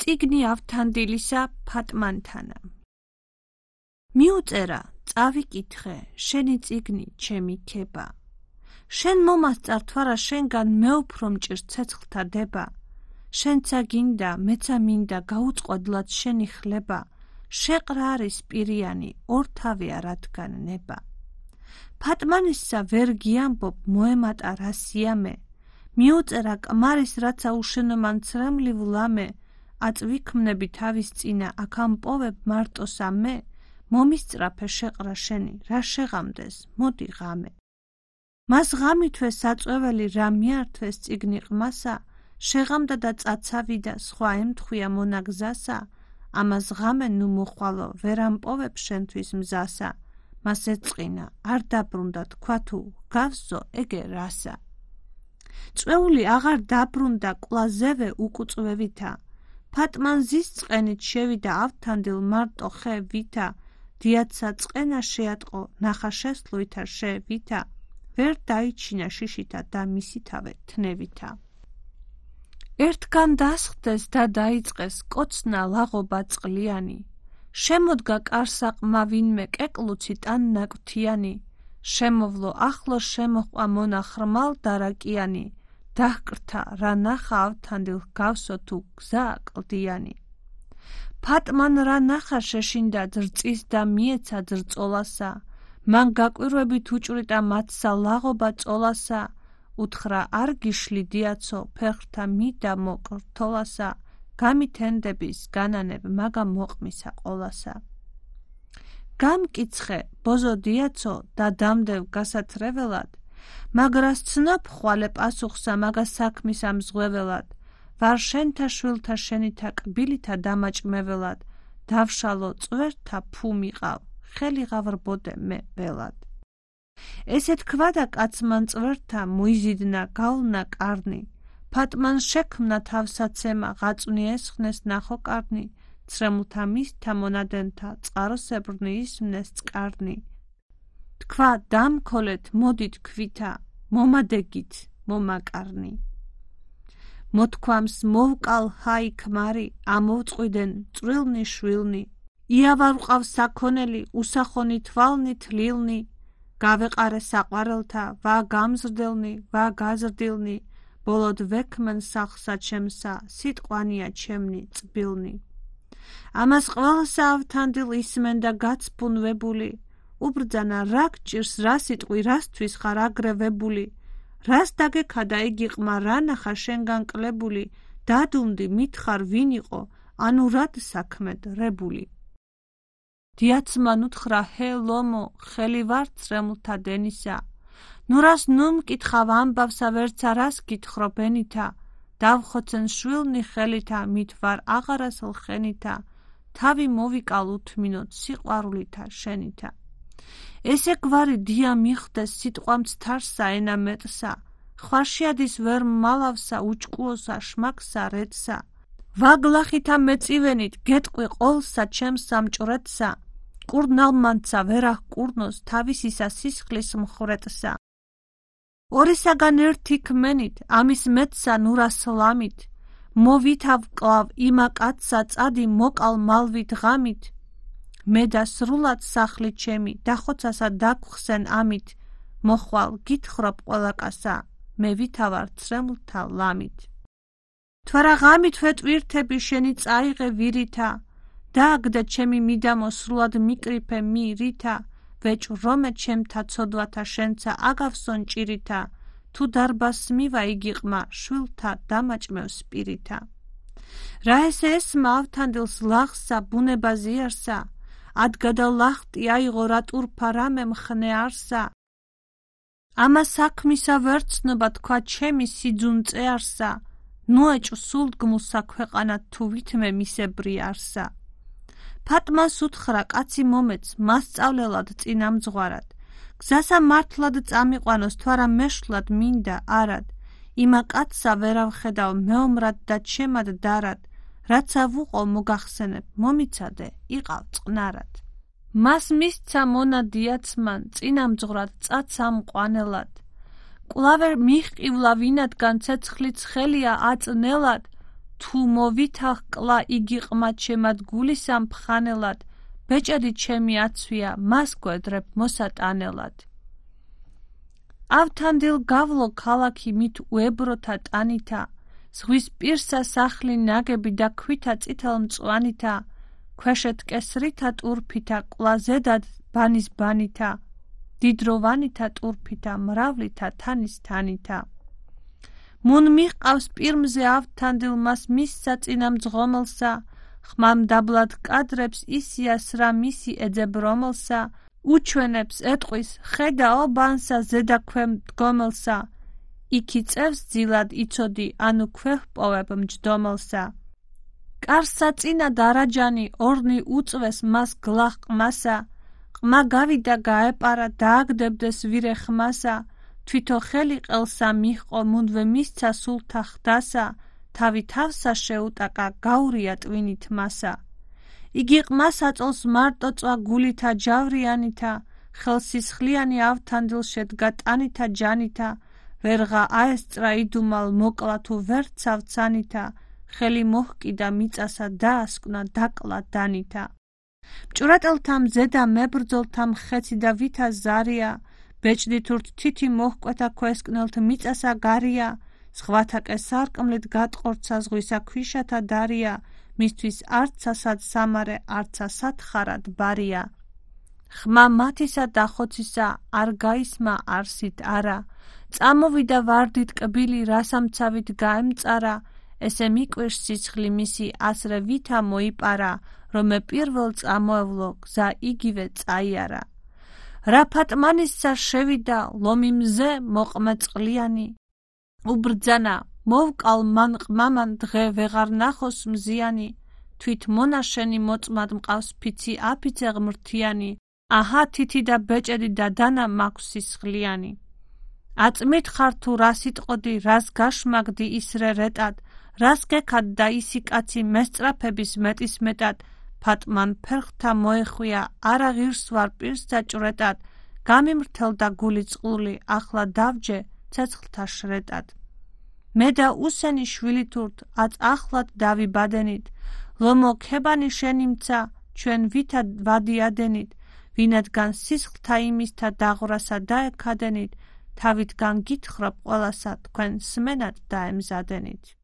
წიგნი ავთანდილისა ფატმანთანა. მიუწერა, წავიკითხე, შენი წიგნი, ჩემი ქება. შენ მომასწარ თვარა შენგან მეუფრო მჭირს ცეცხლთა დება. შენცა გინდა, მეცა მინდა, გაუწყოდლად შენი ხლება. შეყრა არის პირიანი, ორთავია რადგან ნება. ფატმანისსა ვერ გიამბობ, მოემატა რა სიამე. მიუწერა კმარის რაცა უშენომან ცრემლივ ლამე. აწვიქმნები თავის წინა, აქ ამპოვებ მარტოსა მე. მომისწრაფე შეყრა შენი, რა შეღამდეს, მოდი ღამე. მას ღამითვე საწვეველი რა მიართვეს წიგნი ყმასა, შეღამდა და წაცავიდა, სხვა ემთხვია მონაგზასა. ამას ღამე ნუ მოხვალო, ვერ ამპოვებ შენთვის მზასა. მას ეწყინა, არ დაბრუნდა, თქვა თუ გავსო, ეგე რასა. წვეული აღარ დაბრუნდა, კვლაზევე უკუწვევითა. ფატმან ზის წყენით შევიდა ავთანდილ მარტო ხე ვითა. დიაცა წყენა შეატყო, ნახა შესლუითა შევითა. ვერ დაიჩინა შიშითა და მისითავე თნევითა. ერთგან დასხდეს და დაიწყეს კოცნა ლაღობა წყლიანი. შემოდგა კარსაყმა ვინმე კეკლუცი ტან ნაკვთიანი. შემოვლო ახლო შემოყვა მონა ხრმალ დარაკიანი. დაჰკრთა რა ნახა ავთანდილ გავსო თუ გზა კლდიანი. ფატმან რა ნახა შეშინდა ძრწის და მიეცა ძრწოლასა. მან გაკვირვებით უჭვრიტა მათსა ლაღობა წოლასა. უთხრა არ გიშლი დიაცო, ფეხრთა მიდა მოკრთოლასა. გამითენდების განანებ, მაგა მოყმისა ყოლასა. გამკიცხე, ბოზო დიაცო და დამდევ გასათრეველად. მაგრას ცნობ ხვალე პასუხსა, მაგა საქმის ამზღვეველად. ვარ შენთა შვილთა შენითა კბილითა დამაჭმეველად. დავშალო წვერთა ფუ მიყავ, ხელი ღავრბოდე მე ველად. ესე თქვა და კაცმან წვერთა მოიზიდნა გავლნა კარნი. ფატმან შექმნა თავსაცემა, ღაწვნი ესხნეს ნახო კარნი. ცრემლთა მისთა მონადენთა, წყაროსებრნი ისმნეს წკარნი. თქვა დამქოლეთ მოდით ქვითა, მომადეგით მომაკარნი. მოთქვამს მოვკალ ჰაი ქმარი, ამოვწყვიდენ წვრილნი შვილნი. იავარ ვყავ საქონელი, უსახონი თვალნი თლილნი. გავეყარე საყვარელთა, ვა გამზრდელნი, ვა გაზრდილნი. ბოლოდ ვექმენ სახლსა ჩემსა, სიტყვანია ჩემნი წბილნი. ამას ყველასა ავთანდილ ისმენდა გაცფუნვებული. უბრძანა რა გჭირს, რა სიტყვი, რასთვის ხარ აგრევებული. რას დაგექადა იგი ყმა, რა ნახა შენგან კლებული. დადუნდი, მითხარ ვინ იყო, ანუ რად საქმედ რებული. დიაცმან უთხრა ჰე ლომო, ხელი ვარ წრემლთა დენისა. ნუ რას ნუ მკითხავ ამბავსა, ვერცა რას გითხრობ ენითა. დავხოცენ შვილნი ხელითა, მით ვარ აღარას ლხენითა. თავი მოვიკალ უთმინოთ სიყვარულითა შენითა. ესე გვარი დია მიხდეს სიტყვამ ცთარსა ენა მეტსა. ხვაშიადის ვერ მალავსა უჭკუოსა შმაკსა რეცსა. ვაგლახითა მეწივენით გეტყვი ყოლსა ჩემს სამჭრეთსა. კურნალმანცა ვერახ კურნოს თავისისა სისხლის მხრეთსა. ორისაგან ერთი კმენით, ამის მეტსა ნურას ლამით. მოვითავ კლავ იმა კაცსა წადი მოკალ მალვით ღამით. მე და სრულად სახლი ჩემი, დახოცასა დაგხსენ ამით. მოხვალ გითხრობ ყველა კაცსა, მე ვითავარ ცრემლთა ლამით. თვარა ღამით ვეტვირთები შენი წაიღე ვირითა. დააგდე ჩემი მიდამო სრულად მიკრიფე მი ρίთა. ვეჭრომე ჩემთა ცოდვათა შენცა აგავსონ ჭირითა. თუ დარბას მივა იგი ყმა, შვილთა დამაჭმევ სპირითა. რა ესე ესმა ავთანდილს ლაღსა, ბუნება ზიარსა. ადგადა ლახტი აიღო რა ტურფა რამე მხნე არსა. ამა საქმისა ვერცნობა თქვა ჩემი სიძუნ წეარსა. ნუეჭ სულდგმულსა ქვეყანა თუ ვითმე მისებრი არსა. ფატმას უთხრა კაცი მომეც, მასწავლელად წინამძღვარად. გზასა მართლად წამიყვანოს, თვარა მეშვლად მინდა არად. იმა კაცსა ვერავხედავ მეომრად და ჩემად დარად. რაცა ვუყო მოგახსენებ, მომიცადე, იყავ წყნარად. მას მისცა მონა დიაცმან, წინამძღვრად წაცამ ყვანელად. კვლავერ მიჰყივლა ვინადგან ცეცხლიც ხელია აწნელად. თუ მოვითახ კლა იგი ყმად შემად გულისამ ფხანელად, ბეჭედი ჩემი აცვია, მას გვედრებ მოსატანელად. ავთანდილ გავლო ქალაქი მით უებროთა ტანითა, ზღვის პირსა სახლი ნაგები და ქვითა წითელ მწვანითა, ქვეშეთ კესრითა ტურფითა, კლა ზედად ბანის ბანითა, დიდროვანითა ტურფითა, მრავლითა თანის თანითა. მუნ მიყავს პირმზე ავთანდილ მას მისსა წინა მძღომელსა, ხმამ დაბლად კადრებს ისია სრა მისი ეძებ რომელსა, უჩვენებს ეტყვის ხედაო ბანსა ზედა ქვემ მდგომელსა, იქი წევს ძილად იცოდი, ანუ ქვეჰპოვებ მჯდომელსა. კარსა წინა დარაჯანი ორნი უწვეს მას გლახ ყმასა, ყმა გავიდა გაეპარა დააგდებდეს ვირე ხმასა, თვითო ხელი ყელსა მიჰყო მუნდვე მისცა სულთა ხდასა, თავი თავსა შეუტაკა გაურია ტვინით მასა. იგი ყმას აწოლს მარტო წვა გულითა ჯავრიანითა, ხელსისხლიანი ავთანდილ შედგა ტანითა ჯანითა, ვერღა აესწრა იდუმალ მოკლა თუ ვერ ცავცანითა, ხელი მოჰკიდა მიწასა დაასკვნა დაკლა დანითა. მჭვრეტელთა მზედა მებრძოლთა მხეცი და ვითა ზარია, ბეჭდითურთ თითი მოჰკვეთა ქვესკნელთ მიწასა გარია, ზღვათაკე სარკმლით გატყორცა ზღვისა ქვიშათა დარია, მისთვის არცა სად სამარე, არცა სათხარად ბარია. ხმა მათისა და ხოცისა არ გაისმა არსით არა, წამოვიდა ვარდით კბილი რასამცავით გაემწარა, ესე მიკვირს სიცხლი მისი ასრე ვითა მოიპარა, რომე პირველ წამოევლო გზა იგივე წაიარა. რა ფატმანისსა შევიდა ლომი მზე მოყმე წყლიანი, უბრძანა მოვკალ მან ყმამან დღე ვეღარ ნახოს მზიანი, თვით მონაშენი მოწმად მყავს ფიცი აფიცე ღმრთიანი, აჰა თითი და ბეჭედი და დანა მაქვს სისხლიანი. აწმით ხარ თუ რას იტყოდი, რას გაშმაგდი ისრე რეტად, რას გექად და ისი კაცი მესწრაფების მეტის მეტად, ფატმან ფერხთა მოეხვია, არა ღირს ვარ პირს დაჭვრეტად, გამიმრთელდა გული წყლული, ახლა დავჯე ცეცხლთა შრეტად. მე და უსენი შვილი თურთ, აც ახლად დავიბადენით, ლომო ქებანი შენიმცა, ჩვენ ვითა ვადიადენით, ვინადგან სისხლთა იმისთა დაღვრასა დაეკადენით, თავით განგითხრობ ყველასა თქვენ სმენად დაემზადენით.